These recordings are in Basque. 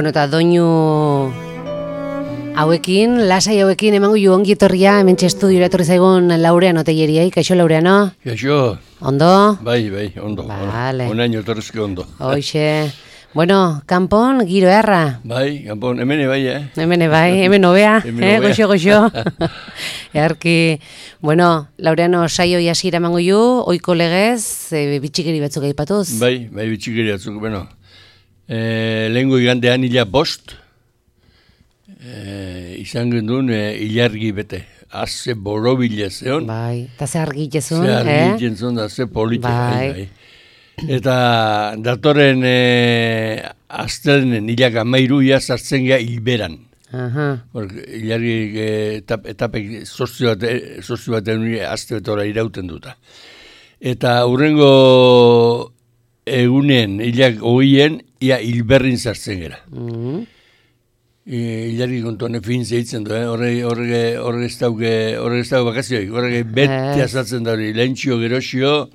Bueno, eta doinu hauekin, lasai hauekin emango ju ongi etorria, hementxe estudiora etorri zaigun Laureano Telleriai. Kaixo, Laureano? Kaixo. Ondo? Bai, ondo. Vale. Onaino etorrizke ondo. Hoxe. Bueno, kanpon, giro erra. Bai, kanpon, hemen bai, Hemen bai, hemen hobea, goxo. Earki, bueno, Laureano saio hasiera emango ju, ohiko legez, bitxikeri batzuk aipatuz. Bai, bitxikeri batzuk, bueno. Lehengo igandean 5 izan gendun ilargi bete. Haze borobila zeon. Bai, eta ze argitezun, Ze argitezun da, ze politia. Bai. Eta datorren aztelen hilak 13 sartzen gea hilberan. Ilargi etapek sozio baten azte betora irauten duta. Eta hurrengo egunen hilak 20en ia hilberrin sartzen gera. Ilargi kontuan fin zeitzen du, horre ez dauke bakazioik, horre beti azaltzen da hori, lehentxio, gerosio,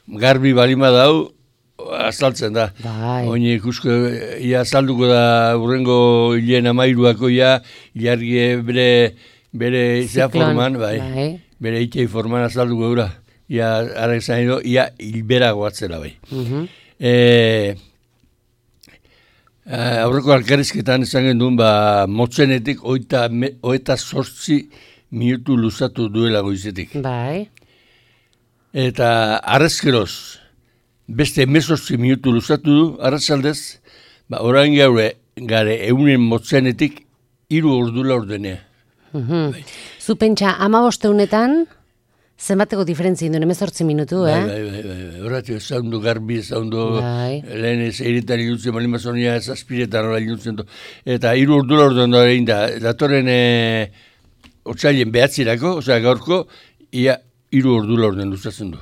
garbi balima dau, azaltzen da. Oine ikusko, ia azalduko da urrengo hilen 13ako ilargi bere izea forman, bere itei forman azalduko dura. Ia arrek zain edo, ia hilbera goatzela bai. Aurreko alkarrizketan izan genduen, motzenetik 28 minutu luzatu duela goizetik. Bai. Eta arrezkeroz, beste 18 minutu luzatu du, arrazaldez, orain gare eunen motzenetik 3 ordula ordenea. Zu pentsa, 15 honetan, zenbateko diferentzia induen, 18 minutu, Bai. Horatu, zaundu garbi, zaundu lehen ez eritan ilutzen, malimazonia ez aspiretan hori ilutzen du. Eta 3 ordula ordean da egin da, datoren otsailen behatzirako, osea gaurko, ia 3 ordula ordean luzatzen du.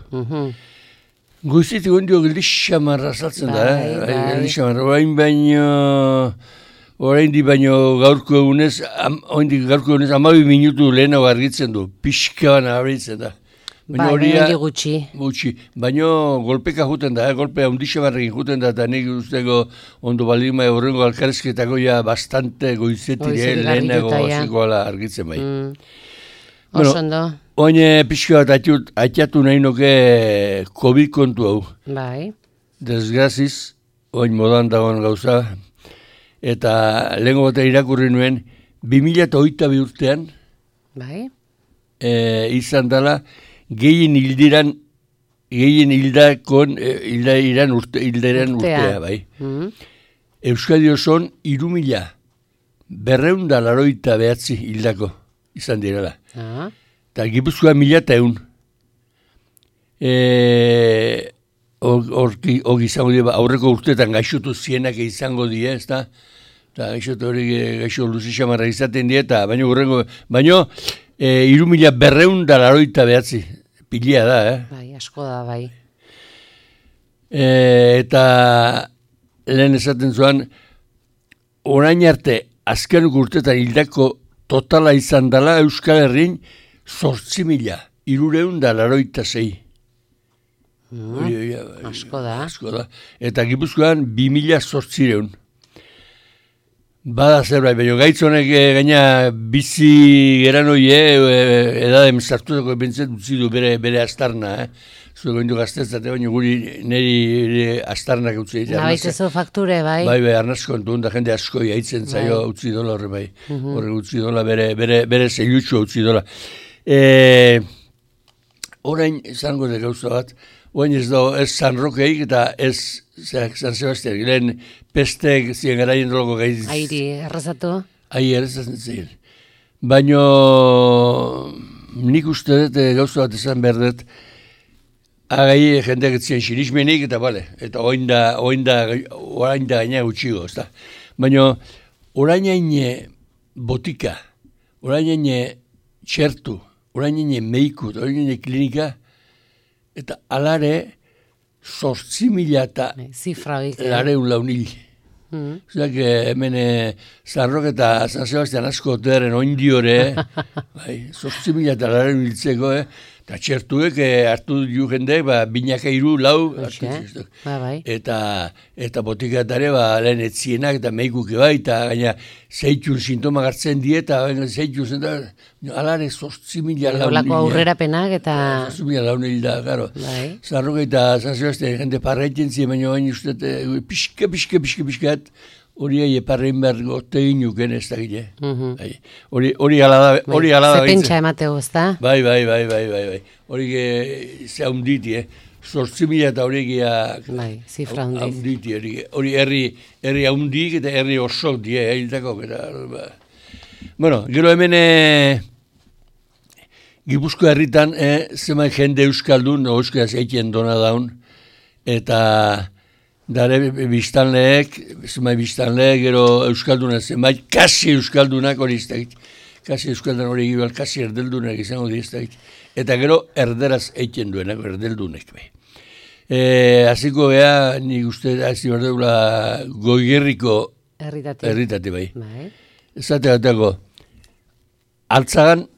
Goizetik ondio geldixamarra saltzen da, geldixamarra. Orain di baino gaurko egunez, 12 minutu lehenago argitzen du, pixka bana abritzen da. Gutxi. Baina golpeka juten da, golpea undixamarrekin juten da, eta nik usteko ondo balima horrengo alkarezketako bastante goizetik lehenago hasikoala argitzen bai. Osondo. Oin pixka bat atiatu nahi nuke COVID kontu hau. Bai. Desgraziz, oin modan dagoen gauza. Eta lehenko batean irakurri nuen, 2022 urtean, izan dela, gehien hilderan urtea, bai. Euskadi osoan 3.289 hildako izan direla. Eta Gipuzkoa 1.100. Hor izango dira, aurreko urteetan gaixotu zienak izango dira, ez da? Eta gaixotu hori gaixo luzixamarra izaten dira, baino 3.289 pilia da, Bai, asko da, bai. Eta lehen esaten zuen, orain arte, azkenuk urteetan hildako totala izan dela Euskal Herrin 8.386. Asko da. Eta Gipuzkoan 2.800. Bada zerbait, baina gaitzonek gaina bizi geran hoie, edadem sartutako bintzet utzi du bere astarna. Zueko indu gaztetzate, baina guri niri astarnak utzi ditu. Nabaitezu fakture, bai? Bai, arnazko entun, da jende asko jaitzen zaio utzi dola horre bai. Horre utzi dola, bere zeilutxo utzi dola. Orain izango da gauza bat, orain ez da ez San Rokeik eta ez San Sebastian, lehen pestek ziren garaien doloko gaiz. Airi, errazatu? Errazatzen ziren. Baina nik uste dut gauza bat esan behar dut, agai jendeak etzien sinismenik eta bale, eta orain da gaina gutxigo, ez da. Baina orain haine botika, orain haine txertu, orain haine meikut, orain haine klinika, eta alare 8.000 eta lareun launil. Zuak hemen Zarrok eta San Sebastian asko oteren oindiore, 8.000 eta lareun hiltzeko, Eta txertuek hartu du jendek, binaka 3, 4, bai. Eta botikatare, lehen etzienak, eta meikuke bai, eta gaina zeitun sintoma gartzen die, eta zeitun zen, alare 8.000 laun. Olako aurrerapenak, eta... 8.000 laun hilda, garo. Zarroke eta zazioazte, jende parraiten zien, baina baina uste, pixka, hori eparrein behar gote inuken ez da gile. Hori ala da. Zepentsa emateo, ez da? Bai. Hori ze haunditi, 8.000 eta hori zifra haunditi. Hori herri haundik eta herri osok die, hiltako. Bueno, gero hemen Gipuzko herritan zeman jende euskaldun, euskaraz eitien dona daun, eta dare biztanleek, gero euskaldunak zenbait, kasi euskaldunak hori iztegit. Kasi euskaldunak hori egibal, kasi erdeldunak izango di iztegit. Eta gero erderaz eitien duenak, erdeldunek. Aziko beha, nik uste, hazi berdeula Goierriko herritate bai. Ezate batako, altzagan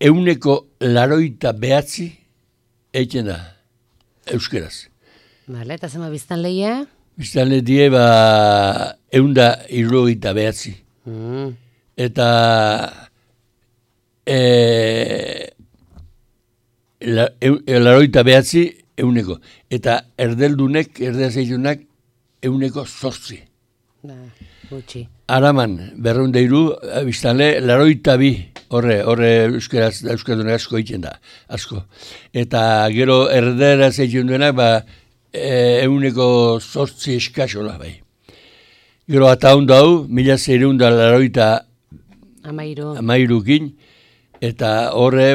189 eitien da, euskeraz. Vale, eta zema biztanleia? Biztanle die, 179. Eta laroita behatzi, 100. Eta erdeldunek, erdeazeitunak, 108. Gutxi. Araman, 203, biztanle, laroita bi, horre euskaldunak asko egiten da, asko. Eta gero erdeazeitun duenak, 108 eskasola, bai. Gero eta hon dau, 1683 eta horre,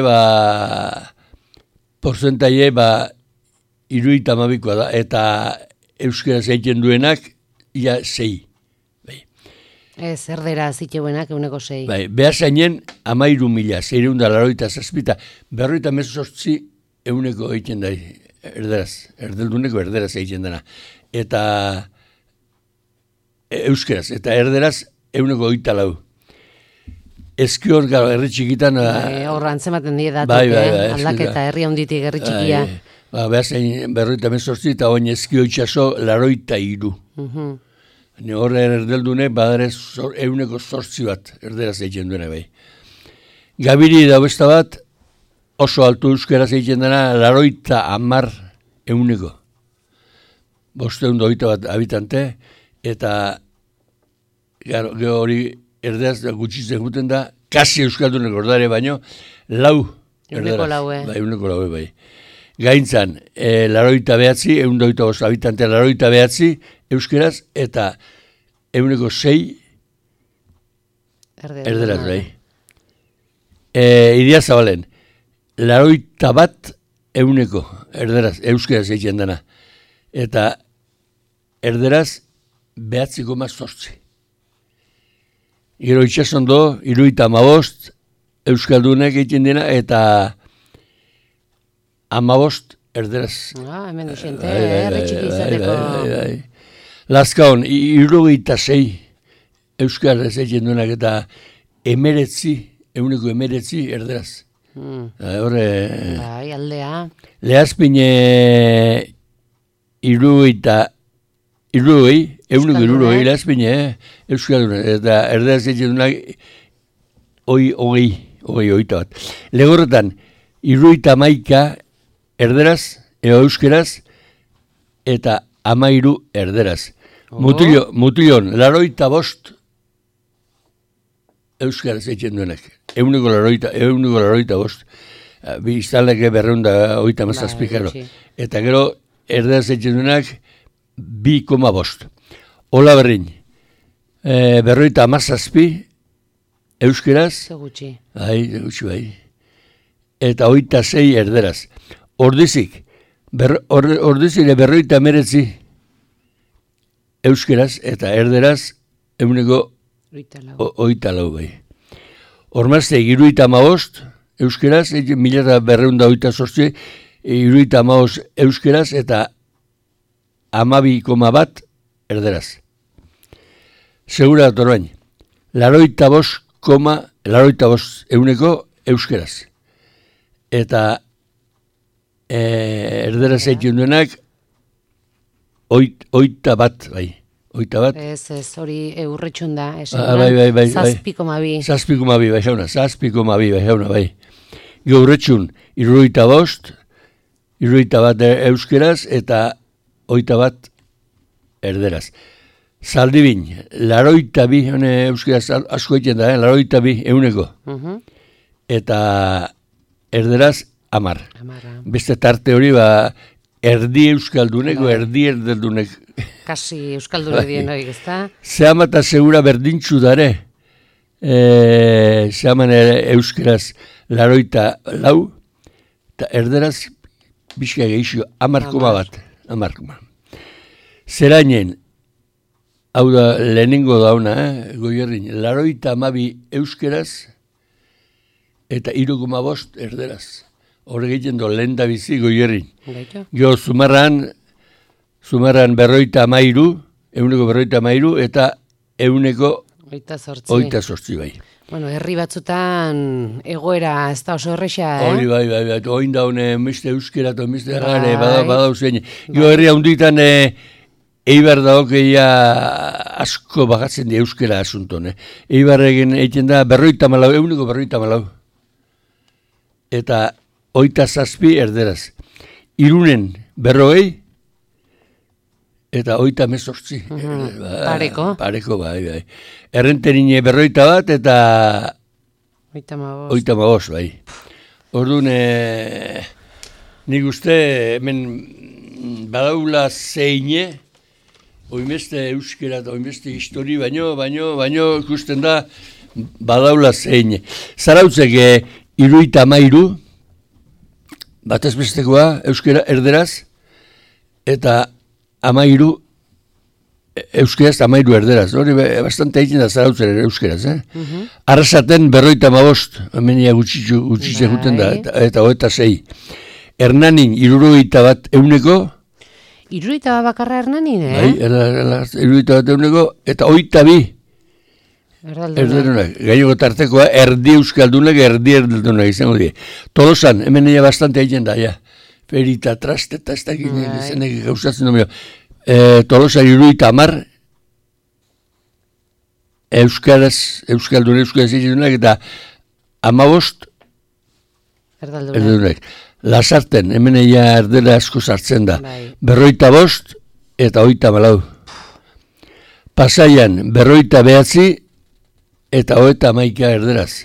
porcentaie, 72 da, eta euskera zeiten duenak, ia 6. Bai. Ez, erdera ziteuenak 106. Bai, behazainen, 13.687, 58 euneko egiten da, erdelduneko erderaz egiten dena. Eta euskeraz, eta erderaz 124. Ezkior, gara, herri txikitan... Horra antzematen die datuk, aldaketa herri honditik herri txikia. Behazen 58 eta oin ezkio itxaso 83. Horre erdeldune, badare 108 bat erderaz egiten duena bai. Gabiri da besta bat, oso altu euskeraz egiten dena, 80 500 bat habitante, eta hori erderaz gutxitzen guten da, kasi euskaldunek ordare baino, 4 erderaz. 104 bai. Gaintzan, 89, 125 habitante, 89 euskeraz, eta 106 erderaz bai. Idia Zabalen, 81 erderaz, euskeraz egiten dena. Eta erderaz 9,8. Gero itxasondo, 75 euskaldunek egiten dena, eta 15 erderaz. Hemen dixente, erretxiki izateko. Lazkaon, 76 euskaraz egiten duenak, eta 19 erderaz. Horre... Bai, aldea. Lehazpine irurogei lehazpine, euskalduna, eta erderaz egiten duenak, ogeita bat. Legorretan, 71 erderaz, euskeraz, eta 13 erderaz. Mutilon, 85 euskaraz egiten duenak. 185. Biztaleke 287 gero. Eta gero, erderaz egiten duenak 2,5. Ola berrin, 57 euskeraz. Zegutxi. Bai. Eta 26 erderaz. Ordizik 59 euskeraz, eta erderaz 124 bai. Hormazte, 75 euskeraz, 1228 75 euskeraz, eta 12,1 erderaz. Segura datorbain, 85 euneko euskeraz. Eta erderaz egiten duenak, 21, bai. 21. Ez, hori eurretxun da. Bai. 7,2. 7,2, bai jauna, 7,2, bai jauna, bai. Eurretxun, 75, 21 euskeraz eta 21 erderaz. Zaldibin, 82, euskeraz asko egiten da, 82 euneko. Eta erderaz, 10. Beste tarte hori, erdi euskaldunek, erdi erdeldunek. Kasi euskaldune dien hori, ezta? Zehama eta segura berdintxu dare. Zehaman euskeraz 84, eta erderaz, bizka gehixo, 10,1. Zerainen, hau da, lehenengo dauna, Goierrin, 82 euskeraz, eta 3,5 erderaz. Horre egiten do, lehen da bizi Goierrin. Gio, Zumarran 53, euneko 53, eta euneko 28 bai. Bueno, herri batzutan egoera ez da oso erresa, Hori bai, oin daune, meste euskera, meste gare, badau zein. Gio, herri handitan, Eibar daokeia asko bagatzen di euskera asunton. Eibar egiten da, euneko 54. Eta 27 erderaz. Irunen 40, eta 38. Pareko, bai. Errenterine 41 eta 35, bai. Orduan, nik uste, hemen badaula zeine, oinbeste euskera eta oinbeste histori, baino ikusten da badaula zeine. Zarautzek 73, batez bestekoa euskera erderaz, eta 13 euskeraz, 13 erderaz. Hori bastante egiten da zarautzen euskeraz. Arrasaten 55, amenia gutxitze guten da, eta 26. Hernanin 71 euneko. 71 bakarra Hernanin, Bai, 71 euneko, eta 22 erdeldunak. Gainoko tartekoa, erdi euskaldunak, erdi erdeldunak izango die. Tolosan, hemen ea bastante egiten da, ja. Ferita, trasteta, ez dakit zenek gauzatzen domio. Tolosa 70 euskaldun egiten eta 15 erdeldunak. Lasarten, hemen ea erdela asko sartzen da. 45 eta 34. Pasaian, 49 eta 11 erderaz.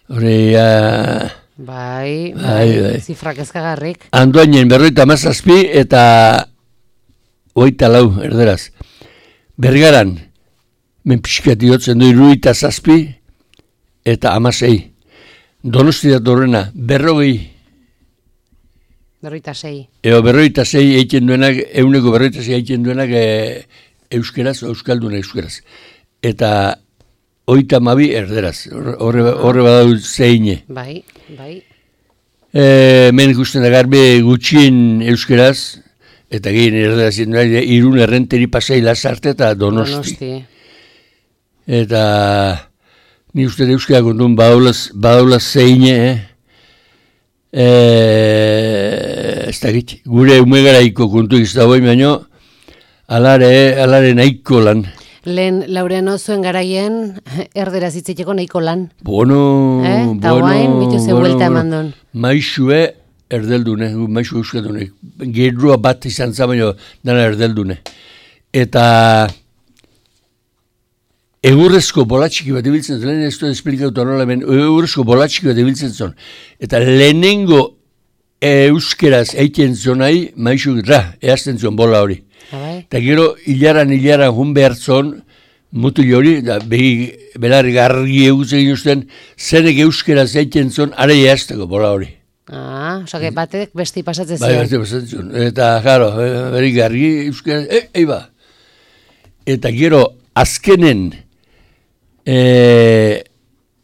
Hori, Bai, zifrak ezkagarrik. Andoainen 57 eta 24 erderaz. Bergaran, menpiskat iotzen du 77 eta 16. Donosti datorrena, 40. 46. 46 egiten duenak, euneko 46 egiten duenak euskeraz, euskaldun euskeraz. Eta 32 erderaz, horre badau zeine. Bai. Men ikusten da garbe gutxien euskeraz, eta gehien erderaz egiten duenak, Irun, Errenteri, Pasai, Lasarte eta Donosti. Eta ni uste euskera kontun badaula zeine, ez dakit, gure umegaraiko kontu izta boi, baino, alare nahiko lan. Lehen Laureano zuen garaien erderaz hitzeteko nahiko lan. Bueno. Ta guain, bitu ze buelta eman duen. Maixue erdeldune, maixue euskaldune. Gerrua bat izan zabaino dana erdeldune. Eta egurrezko bolatxiki bat ibiltzen zuen, lehen ez du esplikatu nola hemen, egurrezko bolatxiki bat ibiltzen zuen. Eta lehenengo euskeraz eiken zonai, maixu eazten zuen bola hori. Eta gero hilaran jun behar zon, mutil hori, belarri garri egutzen ginuzten, zenek euskeraz eiken zon, are eazteko bola hori. Osak batek besti pasatzen zen. Bai, besti pasatzen zuen. Eta, jaro, beri garri euskeraz, eiba. Eta gero, azkenen,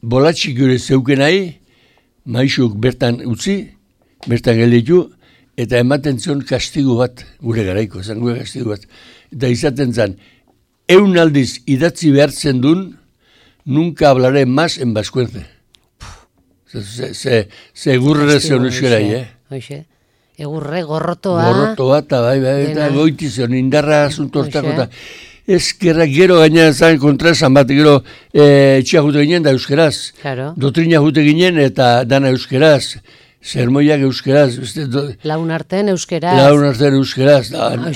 bolatxik gure zeuken nahi, maixuk bertan utzi, bertan gelditu, eta ematen zion kastigo bat, gure garaiko, zan gure kastigo bat. Eta izaten zan, 100 aldiz idatzi behartzen duen, nunca hablaré más en vascuence. Se gurre zion euskera, Hoxe. Egurre, gorrotoa. Gorrotoa, eta bai, eta goitizion, indarra asuntortako, eta ezkerra gero gaina zan kontra esan bat, gero etxea jute ginen da euskeraz. Claro. Dotrina jute ginen eta dana euskeraz. Sermoiak euskeraz. Laun artean euskeraz. Laun artean euskeraz.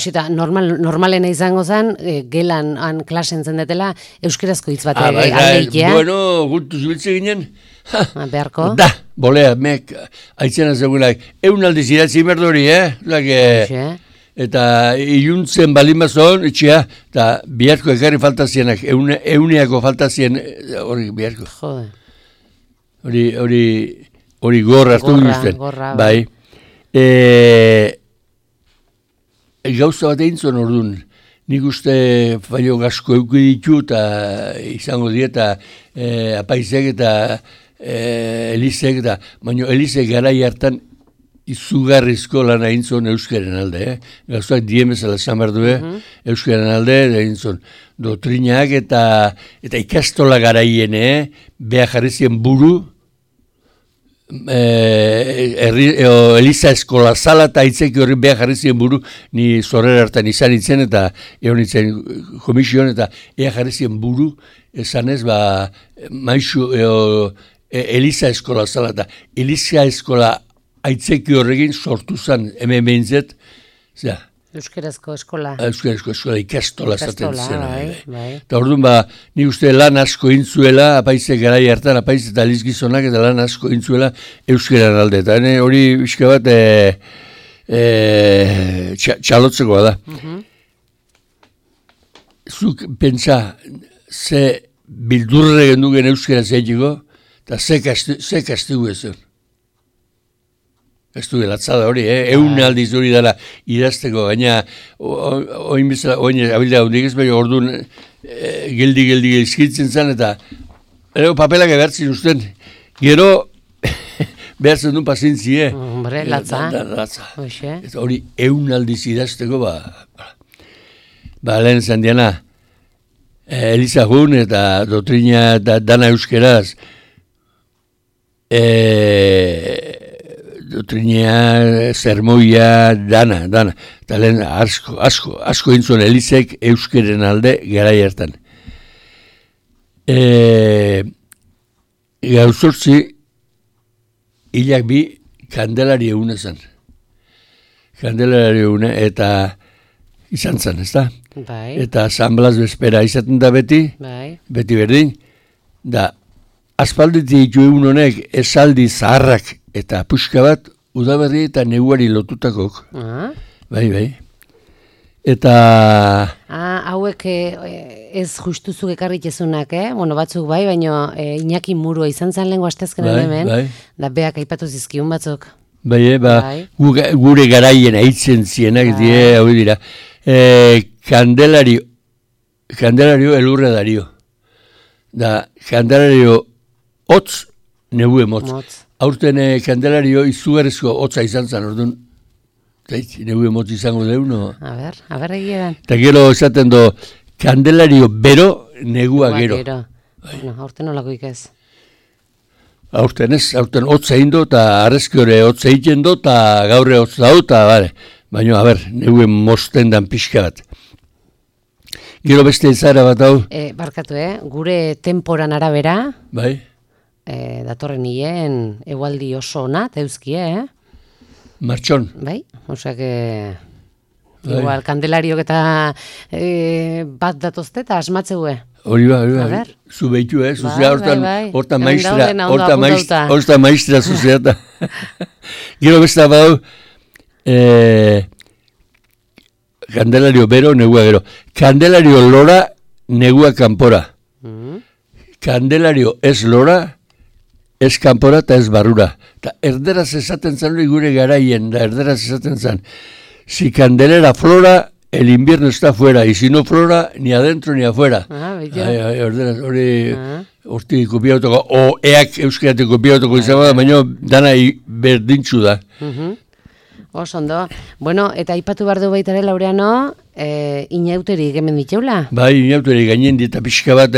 Eta normalena izango zen, gelan klasen zendetela, euskerazko hitz bat aldeitea. Bueno, gutu zubiltze ginen. Beharko? Da, bolea, mek, aitzena zegoenak. Eun aldiz idatzi merdori, Eta iluntzen balimazon, etxea, eta biharko ekarri faltazienak, euneako faltazien, hori biharko. Jode. Hori gorra hartu guztien. Bai. Gauza bat egin zuen orduan. Nik uste faio gasko euki ditu eta izango dieta apaizek eta Elizek eta, baina Elizek garai hartan izugarrizko lan egin zuen euskaren alde. Gauzak diemezala esan behar du, euskaren alde egin zuen. Dotrinak eta ikastola garaien, beha jarri zien buru, Eliza eskola zala eta itzeki horri beha jarri zien buru, ni zorrera hartan izan itzen eta egon itzen komisioan eta ea jarri zien buru, esan ez, maizu Eliza eskola zala eta Eliza eskola aitzeki horregin sortu zen hemen behintzet, Euskerazko eskola. Euskerazko eskola ikastola zaten zen. Bai. Eta orduan nik uste lan asko intzuela, apaize garai hartan, apaize eta lizgizonak eta lan asko intzuela euskeran alde. Eta hori bizka bat txalotzekoa da. Zuk pentsa ze bildurre gendugen euskera zeitiko, eta ze kastigu ezen. Ez du gelatzada hori, eun aldiz hori dela idazteko, gaina oin abildea hundik ez, baina orduan geldi izkitzen zen, eta papelak ebertzin usten, gero behartzen duen pasintzie. Hombre, latza. Eta hori eun aldiz idazteko, lehen zen diana, Eliza Jun eta Dotrina dana euskeraz, Dotrinia, sermoia, dana. Eta lehen asko intzuen Elizek euskeren alde garai hartan. Gauzortzi, hilak bi kandelari eguna zen. Kandelari eguna eta izan zen, ez da? Bai. Eta San Blas bezpera izaten da beti, beti berdin, da aspalditik ditu egun honek esaldi zaharrak eta puska bat udaberri eta neguari lotutakok. Bai. Eta... hauek ez justuzuk ekarritezunak, Bueno, batzuk bai, baina Iñaki Murua izan zen lehenko astezkenan hemen, da beak aipatu zizkiun batzuk. Bai, gure garaien aitzen zienak hau dira. Kandelario elurre dario. Da, Kandelario hotz, negue motz. Aurten Kandelario izugarrizko hotza izan zen, orduan, negue motz izango deuno. A ber egieran. Eta gero esaten do, Kandelario bero, negua gero. Bueno, aurten olakoik ez. Aurten hotza egin do, eta arrezki hori hotza egiten do, eta gaurre hotza dut, eta bale. Baina, negue mozten dan pixka bat. Gero beste izara bat hau. Barkatu, gure temporan arabera. Bai. Datorren hien egualdi oso ona, eta euskie, Martxon. Bai, osak, igual, Kandelariok eta bat datozte eta asmatzeue. Hori ba, zu behitu, zuzea hortan maistra zuzea eta. Gero beste bau, Kandelario bero, negua gero. Kandelario lora, negua kanpora. Kandelario ez lora, ez kanpora eta ez barrura. Eta erderaz esaten zan hori gure garaien, da erderaz esaten zan. Si candelera flora, el invierno está fuera, y si no flora, ni adentro ni afuera. Erderaz hori horti kopiautoko, o eak euskeratik kopiautoko izan da, baina dana berdintzu da. Osondo. Bueno, eta aipatu behar du baitare Laureano, inauterik hemen diteula? Bai, inauterik gainen dieta pixka bat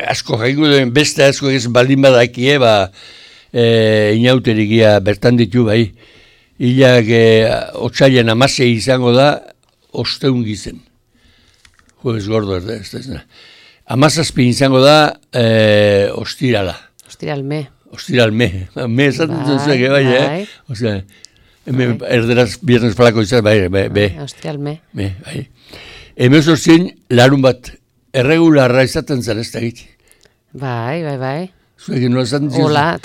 asko jaiko duen, beste asko ez baldin badakie, inauterikia bertan ditu, bai. hilak otsailen 16 izango da, osteun gizen. Jueves gordo, ez da. 17 izango da, ostirala. Ostiralme. Ostiralme. Me esaten zuzuek, bai. Osea, erderaz viernes falako izan, bai. Ostiralme. Bai. Hemen zortzien, larun bat, erregularra izaten zen ez da egit. Bai. Zuekin nola zaten ziren? Ola,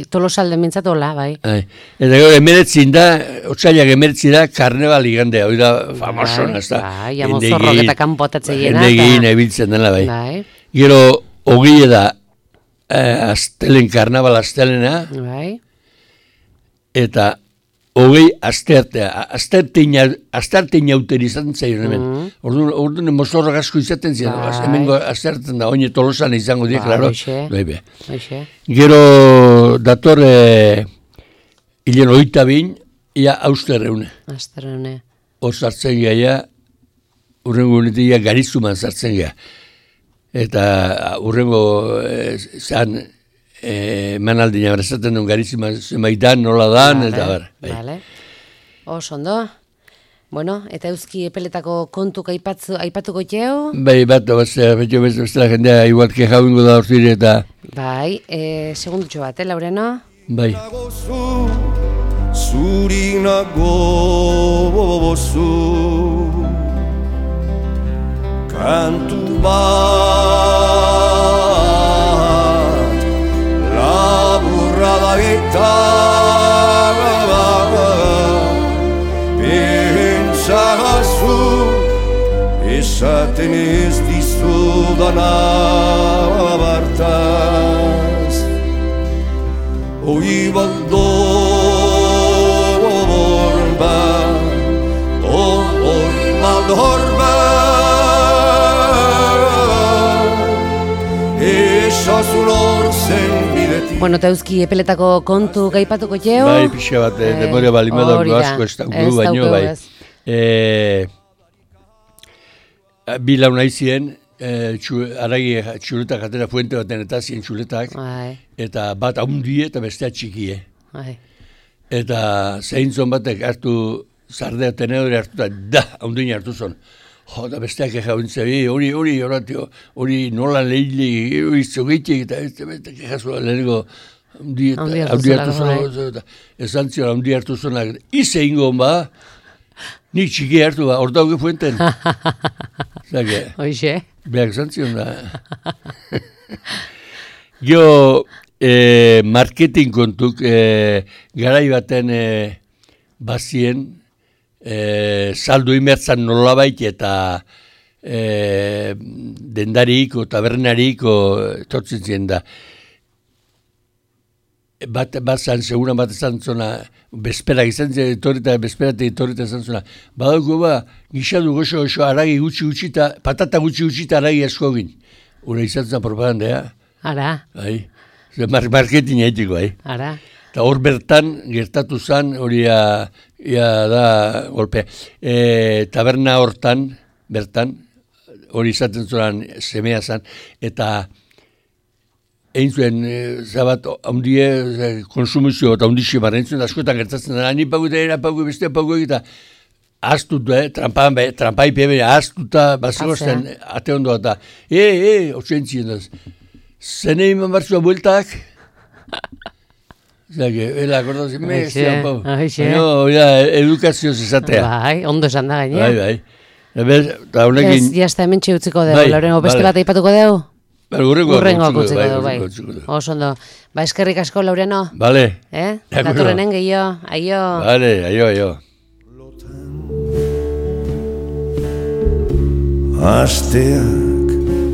tolosalde mintzat, ola, bai. Eta gero, emeretzin da, otsailak emeretzi da, karneval igandea, hori da, famoson, ez da. Bai, amozorrok eta kanpotatze jena. Endegin, ebiltzen dela, bai. Gero, hogie da, astelen, karnaval astelena, bai. Eta hogei asteartein jauten izan zaion hemen. Orduan mozorrak asko izaten ziren, hemengo astearten da, oine Tolosan izango die, klaro. Gero dator hilen 22, ia austerreune. Austerreune. Hor sartzen gaia, urrengo unetia Garizuman sartzen gaia. Eta urrengo zan, manaldina berazaten duen Garizima zemaitan, nola dan, eta bar. Vale. Ondo. Bueno, eta euski epeletako kontuk aipatuko txeu? Bai, bat, bestela jendea, igual keja bingo da hortire eta... Bai, segundutxo bat, Laureano? Bai. Zurinago bozu kantu bat laburra da eta pentsagazu esaten ez dizudana bartaz oi baldo Bueno, eta euski epeletako kontu gaipatuko jeo? Bai, pixa bat, demoria balimada asko ez dauku, baino bai. Bi launa izien, aragi txuletak atera fuente baten eta zien txuletak, eta bat haundie eta bestea txikie. Eta zeintzon batek hartu zardea tenedore hartu da, haundine hartu zon. Da besteak ejauntzea, hori nola lehile, izogitek eta kejazua lehenko haundi hartu zona. Esan zion haundi hartu zona, ize ingon ba, nik txiki hartu ba, hor dauke fuenten. Hoxe. Beak esan zion da. Gio, marketing kontuk, garai baten bazien, saldu imertzan nolabait eta dendariko, tabernariko etortzen ziren da. Bat zan, seguran bat ezan zona, bezperak izan ziren, etorrita ezan zona. Badauko ba, gixadu goxo aragi gutxi eta, patata gutxi eta aragi asko egin. Hura izan zen propagandea. Ara. Marketing haitiko, Ara. Eta hor bertan, gertatu zen, hori da, golpe, taberna hortan, bertan, hori izaten zuean semea zen, eta egin zuen, zabat, haundie, konsumizio eta haundixi barra, egin zuen, askotan gertatzen da, ni pagu eta pagu, bestea pagu egita, aztuta, trampai pebe, aztuta, bazegozten, ate ondoa eta, otzentzien daz, zene iman batzua bueltak, Ela, akordatzen, edukazioz izatea. Bai, ondo esan da gainea. Bai. Ez, jazta hemen txeutziko dugu, Laureno, beste bat aipatuko dugu? Urrengo kutziko dugu, bai. Osondo. Ba, eskerrik asko, Laureno. Bale. Datorrenen gehiago, aio. Bale, aio. Astea